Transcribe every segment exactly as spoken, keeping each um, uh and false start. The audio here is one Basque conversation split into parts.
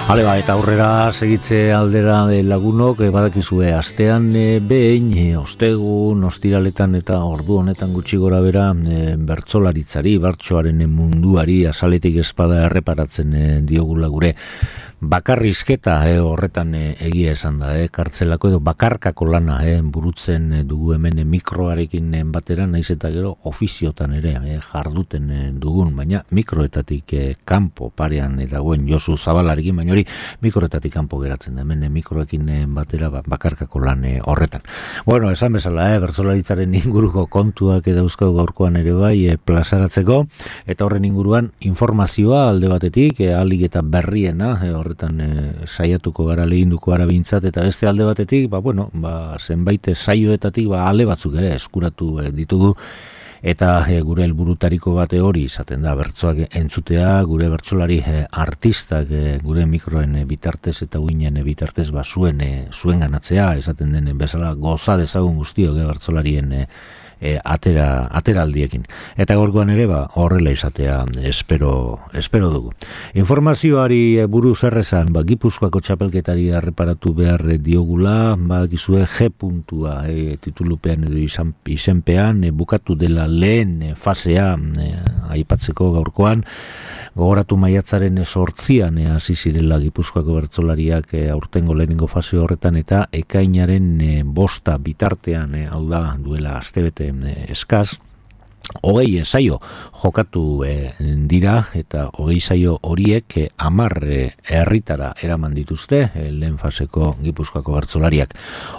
Hale ba, eta aurrera segitze aldera de lagunok, e, badakizue, astean e, behin, e, ostegun, ostiraletan eta ordu honetan gutxi gora bera, e, bertsolaritzari, bertsoaren munduari, azaletik espada erreparatzen e, diogula gure. Bakarrizketa e, horretan e, egia esan da, e, kartzelako edo bakarkako lana e, burutzen e, dugu hemen e, mikroarekin e, batera, naiz eta gero ofiziotan ere e, jarduten e, dugun, baina mikroetatik e, kanpo parean e, dagoen Josu Zabalarekin, baina hori mikroetatik kanpo geratzen da, hemen e, mikroekin e, batera ba, bakarkako lan e, horretan. Bueno, esan bezala, e, bertsolaritzaren inguruko kontuak e, dauzkau gaurkoan ere bai e, plazaratzeko, eta horren inguruan informazioa alde batetik, e, alik eta berriena, e, horretan e, saiatuko gara lehinduko gara bintzat, eta beste alde batetik, ba, bueno, ba, zenbait saioetatik ba, ale batzuk ere eskuratu e, ditugu, eta e, gure helburutariko bate hori izaten da bertsoak entzutea, gure bertsolari e, artistak e, gure mikroen e, bitartez eta uinen e, bitartez ba, zuen, e, zuen ganatzea, esaten den bezala goza dezagun guztiok e, bertsolarien e, E, atera, ateraldiekin. Eta gorkoan ere ba, horrela izatea espero, espero dugu. Informazioari buruz errezan, ba, Gipuzkoako txapelketari erreparatu behar diogula, ba, gizue G puntua e, titulupean edo izan, izenpean, e, bukatu dela lehen e, fasea e, aipatzeko gaurkoan, gogoratu maiatzaren sortzian hasi e, zirela Gipuzkoako bertsolariak e, aurtengo lehenengo fase horretan, eta ekainaren e, bosta bitartean, e, hau da duela astebete e, eskaz, hogei saio jokatu e, dira, eta hogei saio horiek e, amar e, herritara eraman dituzte e, lehen faseko Gipuzkoako bertsolariak.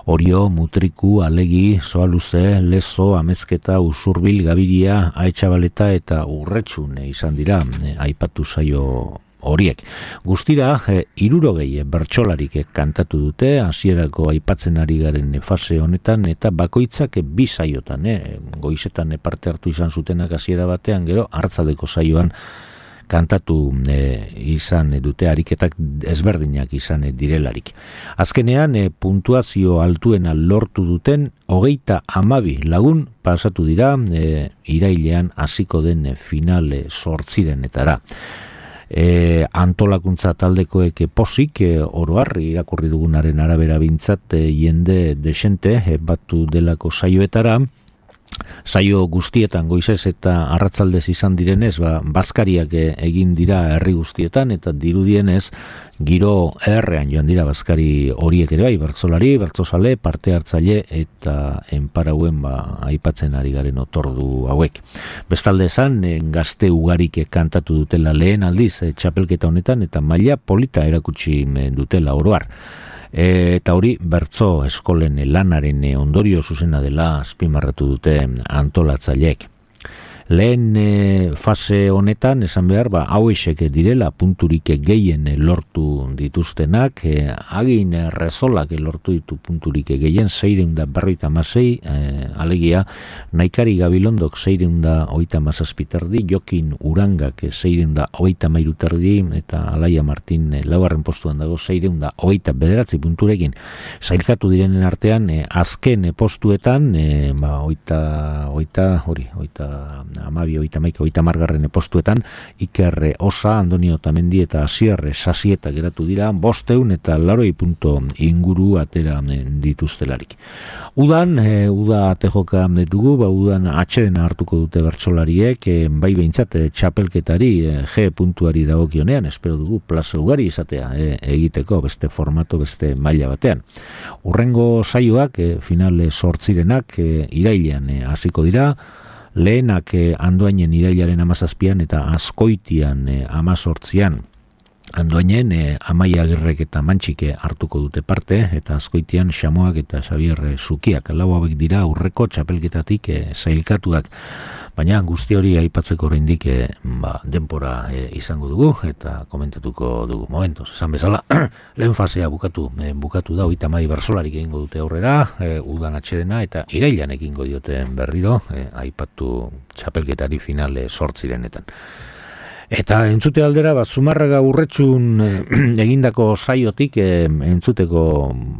Orio, Mutriku, Alegi, Soaluze, Lezo, Amezketa, Usurbil, Gabiria, Aetxabaleta eta Urretxun e, izan dira e, aipatu saio horiek. Guztira, e, irurogei bertsolarik e, kantatu dute, hasierako aipatzen ari garen e, fase honetan, eta bakoitzak e, bi saiotan, e, goizetan e, parte hartu izan zutenak hasiera batean, gero hartzaldeko saioan kantatu e, izan e, dute, ariketak ezberdinak izan e, direlarik. Azkenean, e, puntuazio altuena lortu duten, hogeita hamabi lagun pasatu dira, e, irailean hasiko den e, finale sortzirenetara. E, antolakuntza taldekoek pozik, e, oroar irakurri dugunaren arabera bintzat e, jende desente e, batu delako saioetara. Saio guztietan goizez eta arratzaldez izan direnez, ba, bazkariak e, egin dira herri guztietan, eta dirudienez giro errean joan dira bazkari horiek ere bai, bertsolari, bertsozale, parte hartzaile eta enparauen ba, aipatzen ari garen otordu hauek. Bestalde esan, e, gazte ugarik e, kantatu dutela lehen aldiz e, txapelketa honetan, eta maila polita erakutsi e, dutela oroar. E, eta hori bertso eskolen lanaren ondorio zuzena dela azpimarratu dute antolatzaileek. Lehen e, fase honetan, esan behar, ba, hauexek direla punturik gehien lortu dituztenak, e, agin rezolak lortu ditu punturik gehien, seireun da berroita masei, e, alegia, Naikari Gabilondok seireun da oita masazpiterdi, Jokin Urangak seireun da oita mairuterdi, eta Alaia Martin e, laugarren postuan dago seireun da oita bederatzi punturekin. Zailkatu direnen artean, e, azken e, postuetan, e, ba, oita, oita, hori, oita, amabi, oita maika, oita margarren postuetan, Iker Osa, Andonio Tamendi eta Asier Sasieta geratu dira, bosteun eta laroi punto inguru atera dituztelarik. Udan, e, uda atejoka dugu, ba, udan atxeden hartuko dute bertsolariek, e, bai behintzat e, txapelketari, e, G puntuari dagokionean, espero dugu plaza ugari izatea e, egiteko, beste formato, beste maila batean. Urrengo saioak, e, finale sortzirenak, e, irailean e, hasiko dira, lehenak eh, Andoainen irailaren amazazpian eta Azkoitian eh, amazortzian. Andoainen eh, Amaia Agirrek eta Mantxike hartuko dute parte, eta Azkoitian Xamoak eta Xabier Zukiak. Lau hauek dira aurreko txapelketatik eh, zailkatuak. Baina guzti hori aipatzeko oraindik e, ba, denpora e, izango dugu eta komentatuko dugu. Momentos, esan bezala, lehen fasea bukatu, e, bukatu da, oita mai bersolarik egingo dute aurrera, e, udan atxedena, eta irailan egingo dioten berriro, e, aipatu txapelketari finale sortzirenetan. Eta entzute aldera, ba, Zumarraga Urretxun eh, egindako saiotik eh, entzuteko,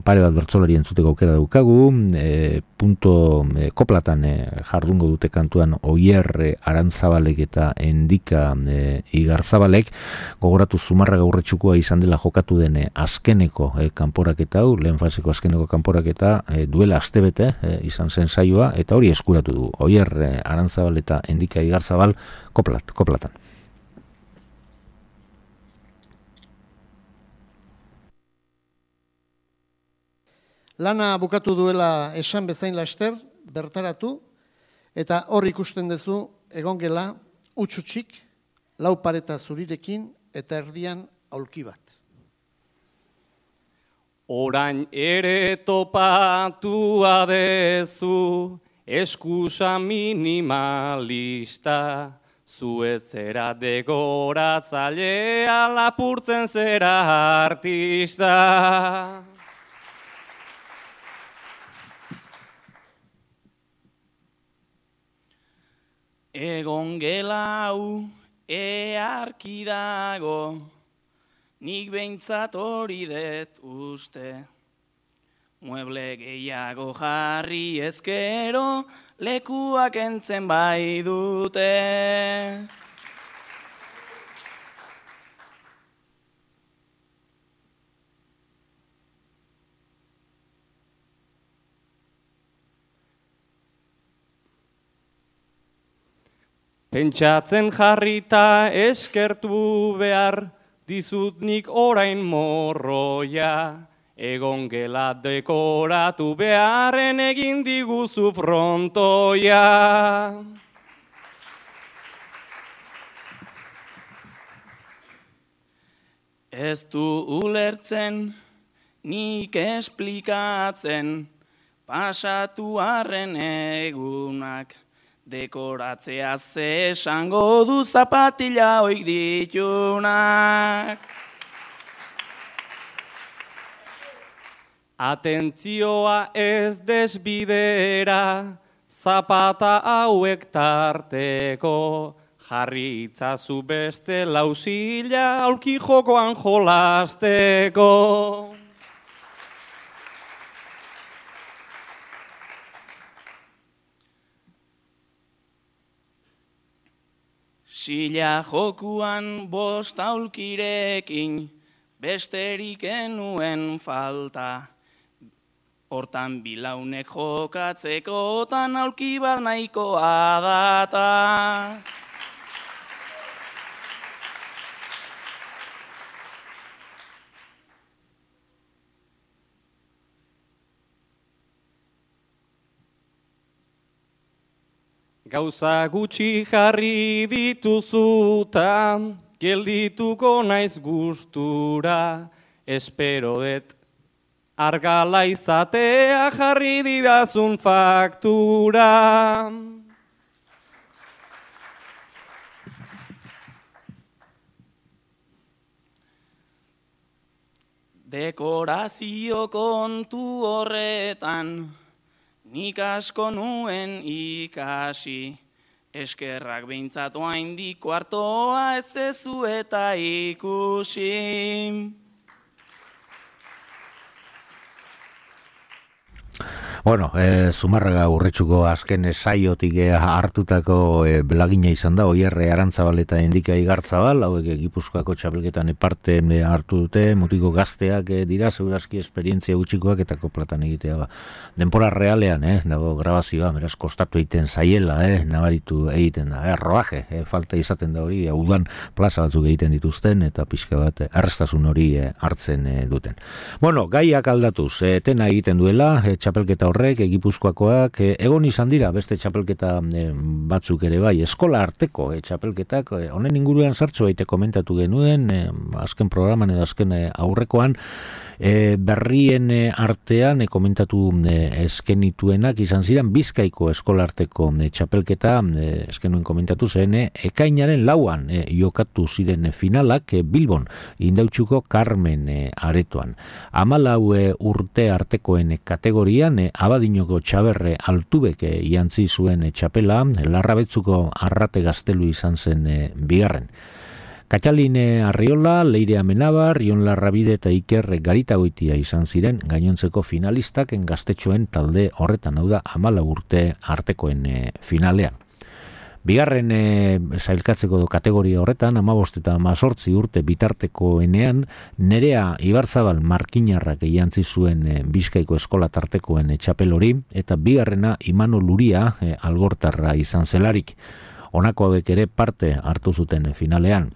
pare bat bertsolari entzuteko aukera daukagu, eh, punto eh, koplatan eh, jardungo dute kantuan Oier eh, Arantzabalek eta Endika eh, Igarzabalek, gogoratu Zumarraga Urretxukoa izan dela jokatu den eh, azkeneko eh, kanporaketa hau, lehen faseko azkeneko kanporaketa eh, duela astebete eh, izan zen saioa, eta hori eskuratu du, Oier eh, Arantzabal eta Endika Igarzabal koplat, koplatan. Lana bukatu duela esan bezain laster, bertaratu, eta hor ikusten duzu egongela utxutxik, lau pareta zurirekin eta erdian aulki bat. Orain ere topatua dezu, eskusa minimalista, zuez zera degoratzailea lapurtzen zera artista. Egon gelau earki dago, nik behintzat hori det uste. Mueble gehiago jarri ezkero, lekuak entzen bai dute. Pentsatzen jarrita eskertu behar, dizut nik orain morroia. Egon gela dekoratu beharren egin diguzu frontoia. Ez du ulertzen, nik esplikatzen, pasatu arren egunak. Dekoratzea ze esango du zapatila oik ditunak. Atentzioa ez desbidera, zapata hauek tarteko, jarri itzazu beste lauzila aulki jokoan jolasteko. Sila jokuan bost aulkirekin, besterik enuen falta. Hortan bilaunek jokatzeko, tan aulki bat nahikoa data. Gauza gutxi jarri dituzuta, geldituko naiz gustura, espero det argala izatea jarri didazun faktura. Dekorazio kontu horretan, nik asko nuen ikasi, eskerrak behintzat oaindik kuartoa ez dezu eta ikusi. Bueno, e, Zumarraga Urretxuko azken saiotik e, hartutako e, belagina izan da, Oier Arantzabal eta Endika Igartzabal, hauek e, Gipuzkoako txapelketan parte e, hartu dute, mutiko gazteak e, dira, segurazki esperientzia gutxikoak eta koplatan egitea. Ba. Denpora realean, eh, dago grabazioa, beraz kostatu egiten zaiela, eh, nabaritu egiten da, eh, roaje, eh, falta izaten da hori, udan plaza batzuk egiten dituzten, eta pixka bat eh, arrestasun hori eh, hartzen eh, duten. Bueno, gaiak aldatuz, eh, tena egiten duela, eh, txapelketa horrek, Gipuzkoakoak, e, egon izan dira beste txapelketa e, batzuk ere bai, eskola arteko e, txapelketak, e, honen inguruan sartxo baite komentatu genuen, e, azken programan edo azken e, aurrekoan, e, berrien e, artean e, komentatu e, eskenituenak izan ziren Bizkaiko eskola arteko e, txapelketa, e, eskenuen komentatu zen, e, ekainaren lauan e, jokatu ziren e, finalak e, Bilbon, Indautxuko Carmen e, aretoan. Hamalau e, urte artekoen e, kategorian, e, Abadinoko Txaberre Altubek e, jantzi zuen e, txapela, Larrabetzuko Arrate Gaztelu izan zen e, bigarren. Kataline Arriola, Leire Amenabar, Ion Larrabide eta Iker Garitagoitia izan ziren gainontzeko finalistak gaztetxoen talde horretan, hau da hamalau urte artekoen e, finalean. Bigarren e, sailkatzeko kategoria horretan, hamabost eta hemezortzi urte bitartekoenean, Nerea Ibarzabal Markinarrak jantzi zuen e, Bizkaiko eskola tartekoen e, txapel hori, eta bigarrena Imano Luria e, algortarra izan zelarik. Honako hauek ere parte hartu zuten e, finalean.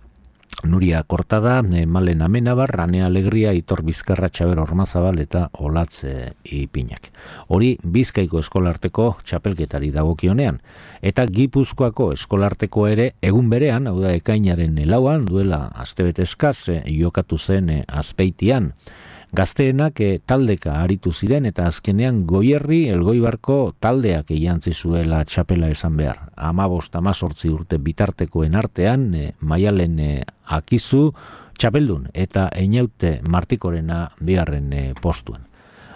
Nuria Kortada, Malen Amenabar, Ranea Alegria, Itor Bizkarra, Txaber Ormazabal eta Olatz Ipinak. Hori Bizkaiko eskolarteko txapelketari dagokionean. Eta Gipuzkoako eskolarteko ere egun berean, hau da ekainaren lauan, duela astebete eskaz, jokatu zen Azpeitian. Gazteenak e, taldeka aritu ziren eta azkenean Goierri Elgoibarko taldeak jantzi zuela txapela esan behar. Hamabost hemezortzi urte bitartekoen artean, e, Maialen e, Akizu txapeldun eta Einaute Martikorena bigarren e, postuan.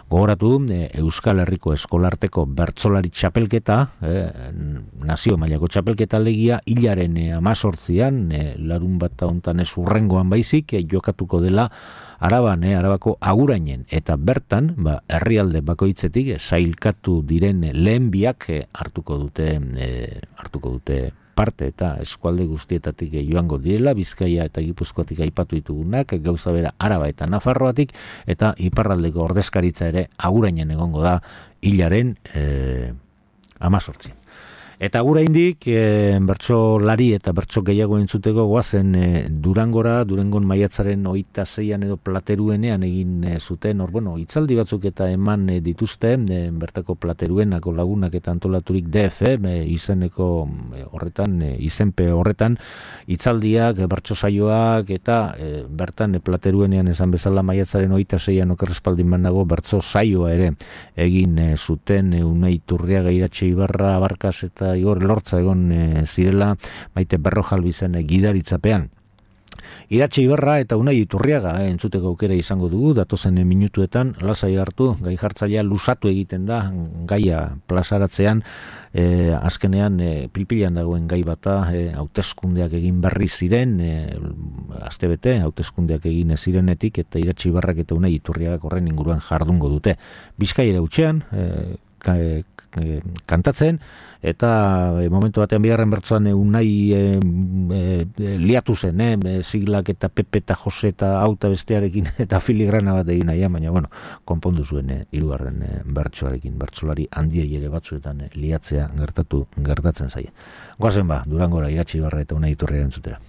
Gogoratu, e, Euskal Herriko eskolarteko bertsolari txapelketa, e, nazio mailako txapelketa legia, hilaren hemezortzian, e, larun bat hontan ez urrengoan baizik, e, jokatuko dela Araban, eh, Arabako Agurainen, eta bertan, ba, herrialde bakoitzetik eh, sailkatu diren lehen biak eh, hartuko dute eh, hartuko dute parte, eta eskualde guztietatik eh, joango direla, Bizkaia eta Gipuzkoatik aipatu ditugunak, gauza bera Araba eta Nafarroatik, eta iparraldeko ordezkaritza ere Agurainen egongo da hilaren eh, hemezortzi. Eta gura indik, e, bertso lari eta bertso gehiago entzuteko goazen e, Durangora, Durangon maiatzaren hogeita zeian edo Plateruenean egin e, zuten, hor, bueno, hitzaldi batzuk eta eman e, dituzte, e, bertako Plateruenako lagunak eta antolaturik D F, e, izeneko e, horretan, e, izenpe horretan, hitzaldiak, e, bertso saioak, eta e, bertan e, Plateruenean esan bezala maiatzaren hogeita zeian okerrespaldin banago bertso saioa ere egin e, zuten, e, Unai Turriaga, Iratxe Ibarra, Abarkas eta Igor Lortza egon e, zirela Maite Berrojalbi zen e, gidaritzapean. Iratxe Ibarra eta Unai Iturriaga e, entzuteko aukera izango dugu, datozen e, minutuetan, lasai hartu, gai jartzailea lusatu egiten da, gaia plazaratzean, e, azkenean e, pilpilan dagoen gai bata, e, hauteskundeak egin berri ziren, e, astebete, hauteskundeak egin zirenetik, eta Iratxe Ibarrak eta Unai Iturriagak horren inguruan jardungo dute. Bizkaira utxean, e, ka, e, kantatzen, eta e, momentu batean bigarren bertsoan e, Unai e, e, liatu zen, e, siglak eta Pepe eta Jose eta auta bestearekin eta filigrana bat egin nahi, baina bueno, konpondu zuen e, hirugarren e, bertsoarekin, bertsolari handiei ere batzuetan e, liatzea gertatu gertatzen zaie. Goazen ba, Durangora, Iratxe Ibarra eta Unai Iturriaga entzutera.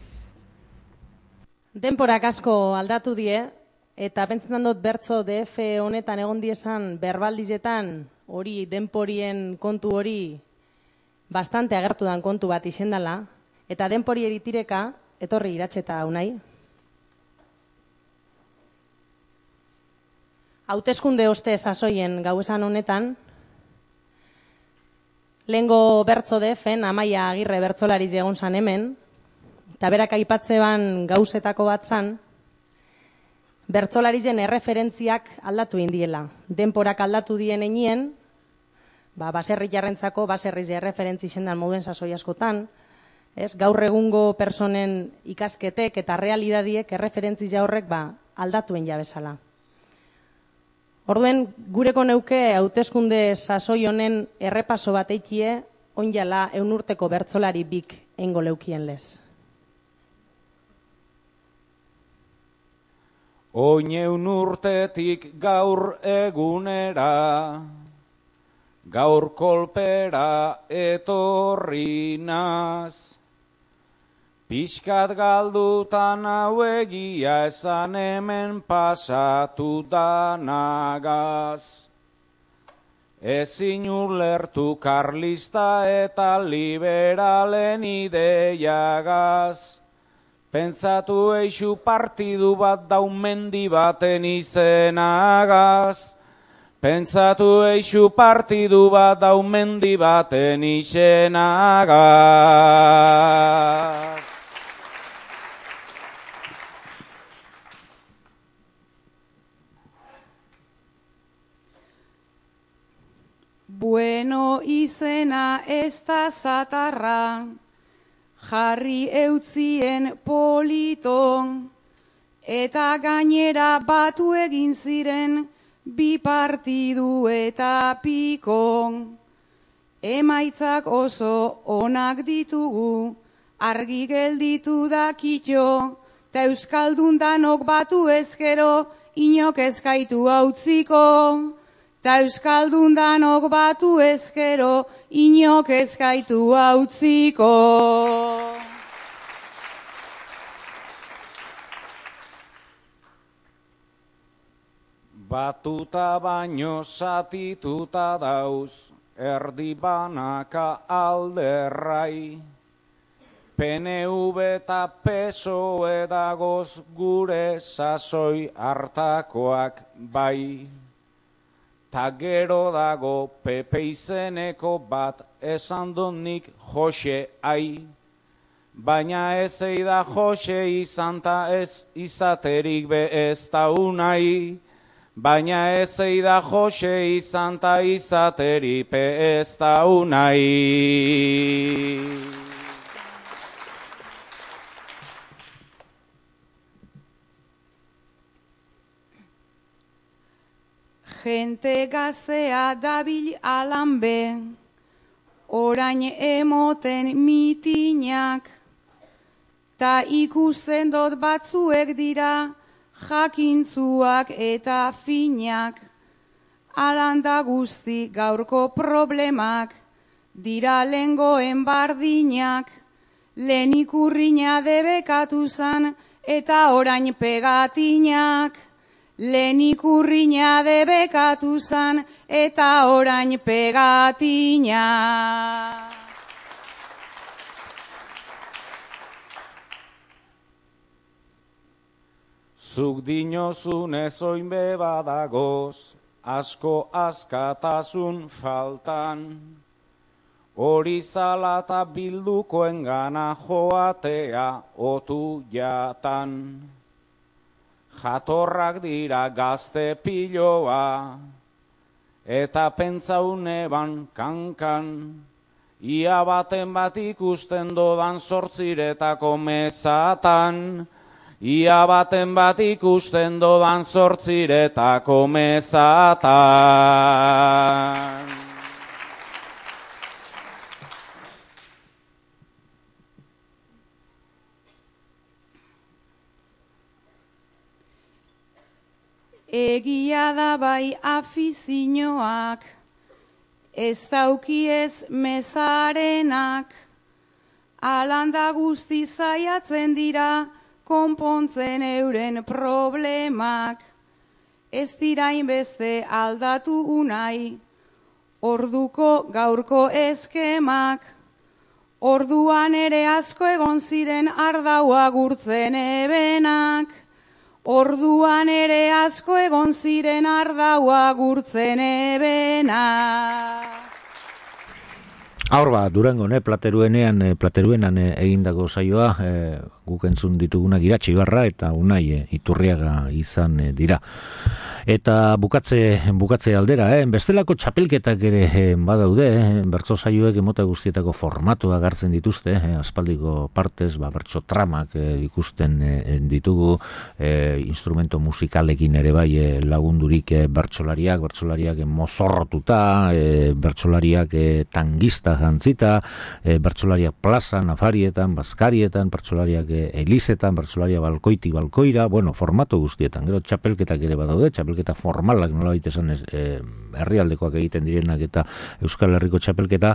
Denporak asko aldatu die, eta pentsetan dut bertso D F honetan egon diesan berbaldizetan hori denporien kontu hori bastante agertu dan kontu bat izendala, eta denpori eritireka etorri Iratxe eta Unai. Hauteskunde oste sasoien gauesan honetan, lehengo bertso D F-en Amaia Agirre bertsolariz egon zan hemen, eta berak aipatzeban gauzetako bat zan, bertsolarizen erreferentziak aldatu indiela. Denporak aldatu dien einien, ba, baserri jarrentzako, baserriz erreferentzi zendan moduen sasoi askotan, ez? Gaur egungo personen ikasketek eta realidadiek erreferentzi horrek ba, aldatuen jabezala. Orduen, gureko neuke hauteskunde sasoi honen errepaso bat eikie, onjala eun urteko bertsolari bik eingo leukien lez. Oineun urtetik gaur egunera, gaur kolpera etorri naz. Pixkat galdutan hau egia esan hemen pasatu danagaz. Ezin ulertu karlista eta liberalen ideiagaz. Pentsatu eixu partidu bat daumendi baten izenagaz. Pentsatu eixu partidu bat daumendi baten izenagaz. Bueno izena ez da zatarra, jarri eutzien polito, eta gainera batu egin ziren bi partidu eta piko. Emaitzak oso onak ditugu, argi gelditu da kitxo, ta euskaldun danok batu ezkero, inok ezkaitu hautziko. Ta euskaldun danok batu ezkero, inok ezkaitu hautziko. Batuta baino satituta dauz, erdi banaka alderrai. P N V eta P S O E dagoz gure sasoi hartakoak bai. Ta gero dago P P izeneko bat esan donik Jose ai. Baina ez eida Jose izan ta ez izaterik be ez da unai. Baina ez eida Jose izan ta izaterik be ez da unai. Gente gaztea dabil alanbe, orain emoten mitinak, ta ikusten dot batzuek dira jakintzuak eta finak. Alanda guzti gaurko problemak, dira lengoen bardinak, lehen ikurrina debekatu zan eta orain pegatinak. Lehen ikurrina debekatu zan eta orain pegatina. Zuk dinozun ezoin bebadagoz, asko askatasun faltan. Hori zala eta bildukoen gana joatea otu jatan. Jatorrak dira gazte piloa, eta pentsaune ban kankan. Ia baten bat ikusten dodan sortziretako mezatan. Ia baten bat ikusten dodan sortziretako mezatan. Egia da bai afizioak, ez daukiez mezarenak, alanda guzti zaiatzen dira konpontzen euren problemak. Ez dira inbeste aldatu unai, orduko gaurko eskemak, orduan ere asko egon ziren ardaua gurtzen ebenak. Orduan ere asko egon ziren ardaua gurtzen ebena. Aur ba, Durango, ne, plateruenean, plateruenan egindako saioa, e, guk entzun ditugunak Iratxe Ibarra eta Unai e, Iturriaga izan e, dira. Eta bukatze, bukatze aldera, eh? Bestelako txapelketak ere eh, badaude, eh? Bertso saioek emota guztietako formatua gartzen dituzte, eh? Aspaldiko partez, ba, bertso tramak eh, ikusten eh, ditugu, eh, instrumento musikalekin ere bai eh, lagundurik eh, bertsolariak, bertsolariak eh, mozorrotuta, eh, bertsolariak eh, tangista jantzita, eh, bertsolariak plaza, nafarietan, bazkarietan, bertsolariak eh, elizetan, bertsolariak balkoiti balkoira, bueno, formato guztietan, gero txapelketak ere badaude, txapelketak eta formalak nola baita esan ez, e, herrialdekoak egiten direnak eta Euskal Herriko txapelketa,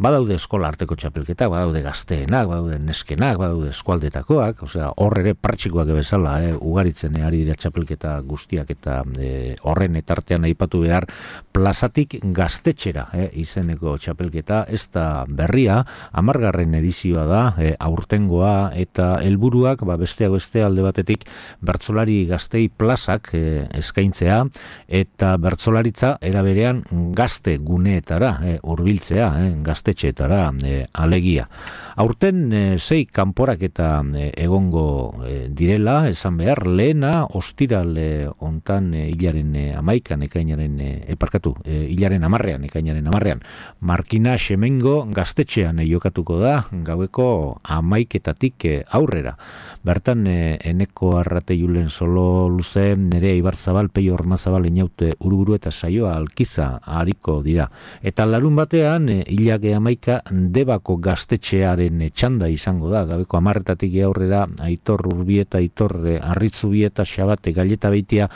badaude eskola arteko txapelketa, badaude gazteenak, badaude neskenak, badaude eskualdetakoak, osea, hor ere partxikoak bezala, e, ugaritzen ari dira txapelketa guztiak eta e, horren etartean aipatu behar plazatik gaztetxera e, izeneko txapelketa, ez da berria, hamargarren edizioa da, e, aurtengoa eta helburuak, ba, besteak beste alde batetik bertsolari gaztei plazak e, eskaintzen eskaintzea eta bertsolaritza eraberean gazte guneetara e, hurbiltzea, e, gaztetxeetara e, alegia. Aurten e, sei kanporaketa e, egongo e, direla, esan behar, lehena ostiral e, ontan e, hilaren e, amaikan ekainaren e, eparkatu, e, hilaren amarrean ekainaren amarrean. Markina Xemengo gaztetxean e, jokatuko da, gaueko amaiketatik e, aurrera. Bertan e, Eneko Arrate Julen Solo Luze, Nerea Ibarzabal, Peio Ormazabal, Inaute Uruguru eta Saioa Alkiza hariko dira. Eta larun batean, e, hilake amaika Debako gaztetxearen txanda izango da, gabeko amarretatik aurrera, Aitor Urbieta, Aitor Arritzubieta, Xabate, Gaileta Beitia,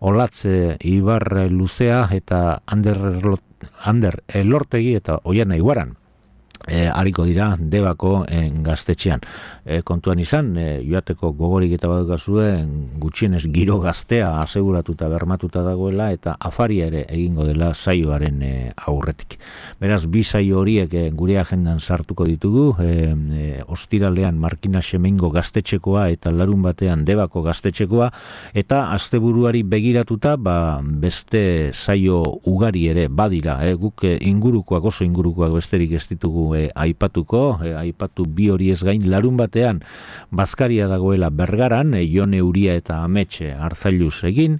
Olatze Ibar Luzea eta Ander, Ander Elortegi eta Oiana Iguaran. E, hariko dira Debako e, gaztetxean. E, kontuan izan, e, joateko gogorik eta badukazue, gutxienez giro gaztea aseguratuta bermatuta dagoela eta afaria ere egingo dela saioaren e, aurretik. Beraz, bi saio horiek e, gure agendan sartuko ditugu, e, e, ostiralean Markina Xemengo gaztetxekoa eta larun batean Debako gaztetxekoa, eta asteburuari begiratuta ba, beste saio ugari ere badira, e, guk e, ingurukoak oso ingurukoak besterik ez ditugu E, aipatuko, e, aipatu bi hori ez gain, larun batean Bazkaria dagoela Bergaran, e, Jone Uria eta Ametxe Arzailuz egin,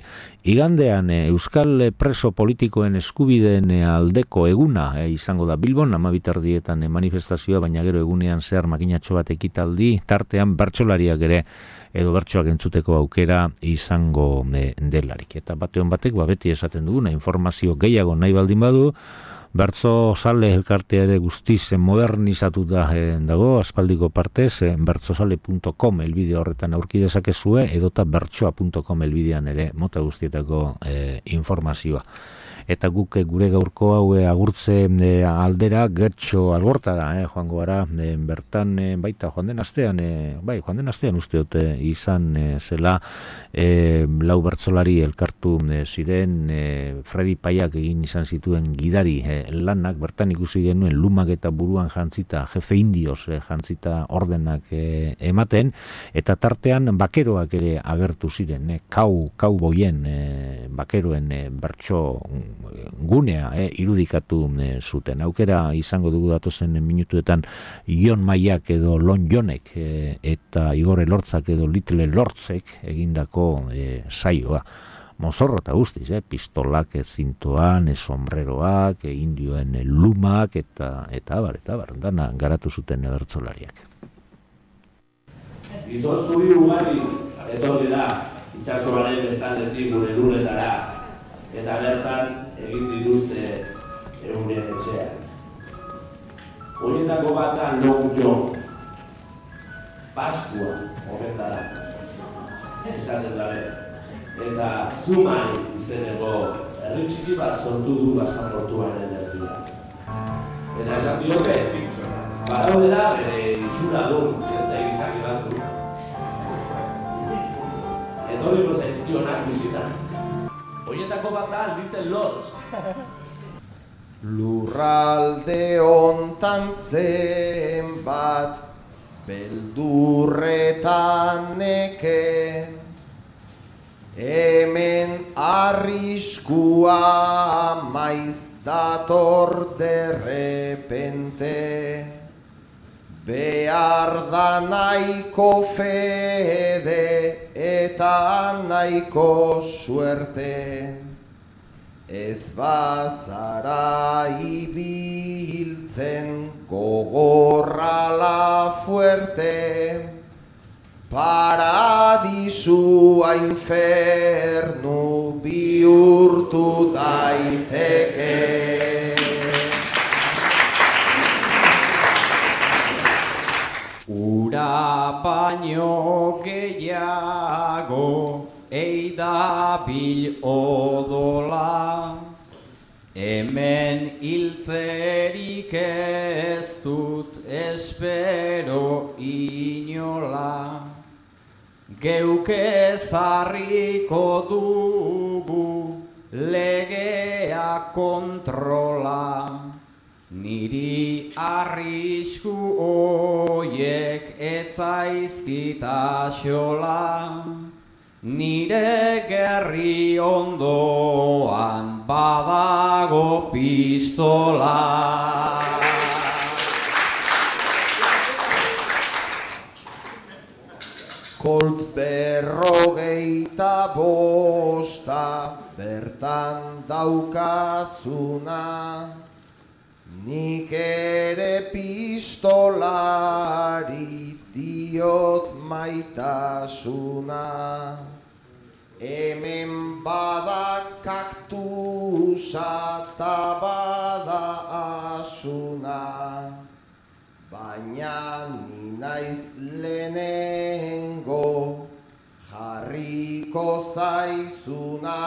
igandean e, Euskal preso politikoen eskubideen e, aldeko eguna e, izango da Bilbon, amabitardietan e, manifestazioa, baina gero egunean zehar makinatxo bat ekitaldi, tartean bertsolariak ere edo bertsoak entzuteko aukera izango e, delarik. Eta bateon batek, ba, beti esaten duguna, informazio gehiago nahi baldin badu, Bertso Sale elkartea ere guztiz modernizatuta eh, dago, aspaldiko partez, eh, bertsosale punto com elbide horretan aurki dezakezue, edota bertsoa punto com elbidean ere mota guztietako eh, informazioa. Eta guk gure gaurko hau e, agurtze e, aldera gertxo algortara e, joango gara, e, bertan e, baita joan den astean, e, bai, joan den astean uste dute izan e, zela e, lau bertsolari elkartu e, ziren, e, Fredi Paiak egin izan zituen gidari e, lanak, bertan ikusi genuen lumak eta buruan jantzita, jefe indioz e, jantzita ordenak e, ematen, eta tartean bakeroak ere agertu ziren, e, kau, kau boien e, bakeroen e, bertso gunea eh, irudikatu eh, zuten. Aukera izango dugu datozen minutuetan Ion Maiak edo Lon Jonek eh, eta Igor Elortzak edo Little Lortzek egindako eh, saioa. Mozorro eta guztiz, eh, pistolak, eh, zintoan, eh, sombreroak, eh, indioen eh, lumak eta eta abar, eta abar, dana garatu zuten bertsolariak. Gizon zuri ugari etorri da, itxasoaren bestaldetik gure lurretara, eta bertan egin dituzte euren etxean. Horietako bata Long John, Paskua horretara, esaten dabe, eta Zumai izeneko herri txiki bat sortu du basamortuaren herria. Eta esan dioke, badaudela bere itxura du, ez da egizaki batzuk. Etorriko zaizkionak bizitan. Horietako bat da Little Lords. Lurralde hontan zenbat beldurretan neke, hemen arriskua maiz dator derrepente, behar da nahiko fede eta nahiko suerte, ez bazara ibiltzen gogorrala fuerte, paradisua infernu bihurtu daiteke. Ura baino gehiago eidabil odola, hemen hiltzerik ez dut espero inola, geuk ezarriko dugu legea kontrola, niri arrisku oiek etzaizkita xola, nire gerri ondoan badago pistola. Kolt berrogeita bosta bertan daukazuna, nik ere pistolari diot maitasuna. Hemen bada kaktusa ta bada asuna, baina ni naiz lehenengo jarriko zaizuna.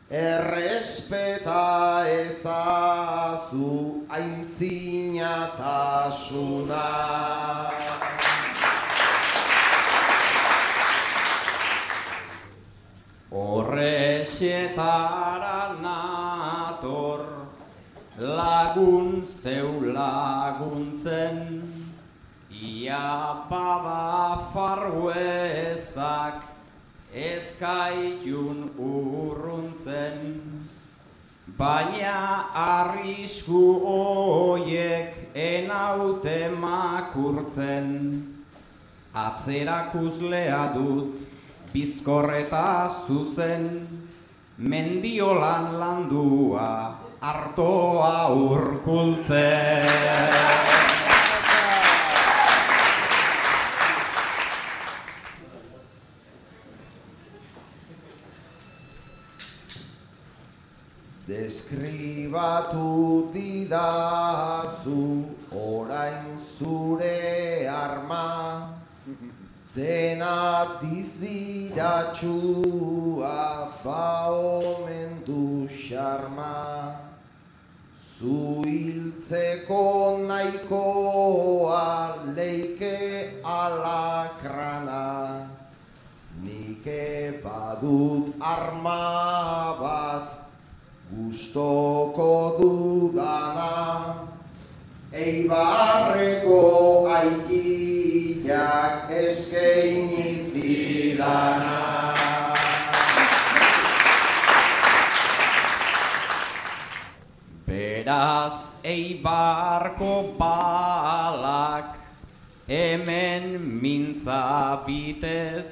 Errespeta ezazu aintzinatasuna. Horrexetara nator lagun zeu laguntzen, ia bada farruezak ezkailun urruntzen, baina arrisku hoiek enaute makurtzen, atzerakuslea dut bizkorreta zuzen, mendiolan landua artoa urkultzen. Deskribatu didazu orain zure arma, dena dizdiratxua ba omen du xarma. Zu hiltzeko nahikoa leike alakrana, nike badut arma bat gustoko dudana. Eibarreko aitilak eskaini zidana. Beraz Eibarko balak hemen mintza bitez,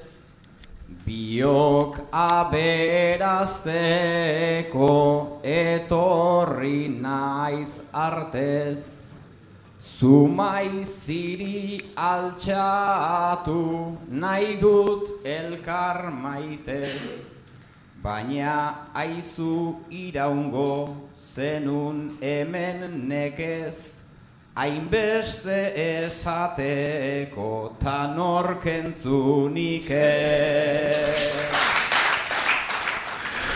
biok aberazteko etorri naiz artez. Zumai ziri altxatu nahi dut elkar maitez, baina aizu iraungo zenun hemen nekez, hainbeste esateko ta norkentzunik ez.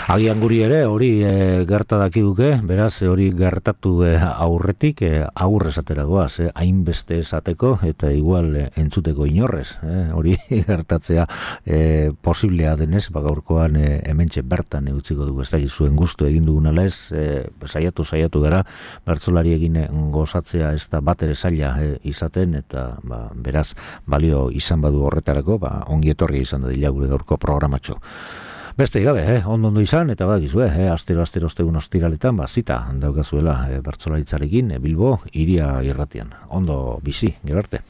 Agian guri ere hori e, gerta dakiguke, beraz hori gertatu e, aurretik e, aur esateragoaz, e, hainbeste esateko eta igual e, entzuteko inorrez, e, hori gertatzea e, posiblea denez, bagaurkoan e, hementxe bertan utziko dugu, ez da zuen gustu egin dugun ala ez, e, saiatu saiatu gara, bertsolari egin gozatzea ez da bat ere zaila e, izaten, eta ba, beraz balio izan badu horretarako, ba, ongi etorri izan da dila gure gaurko programatxo. Beste gabe, eh, ondo ondo izan, eta badakizue, eh, astero astero ostegun ostiraletan, ba, zita daukazuela eh, bertsolaritzarekin, eh, Bilbo, Hiria irratian. Ondo bizi, gero arte.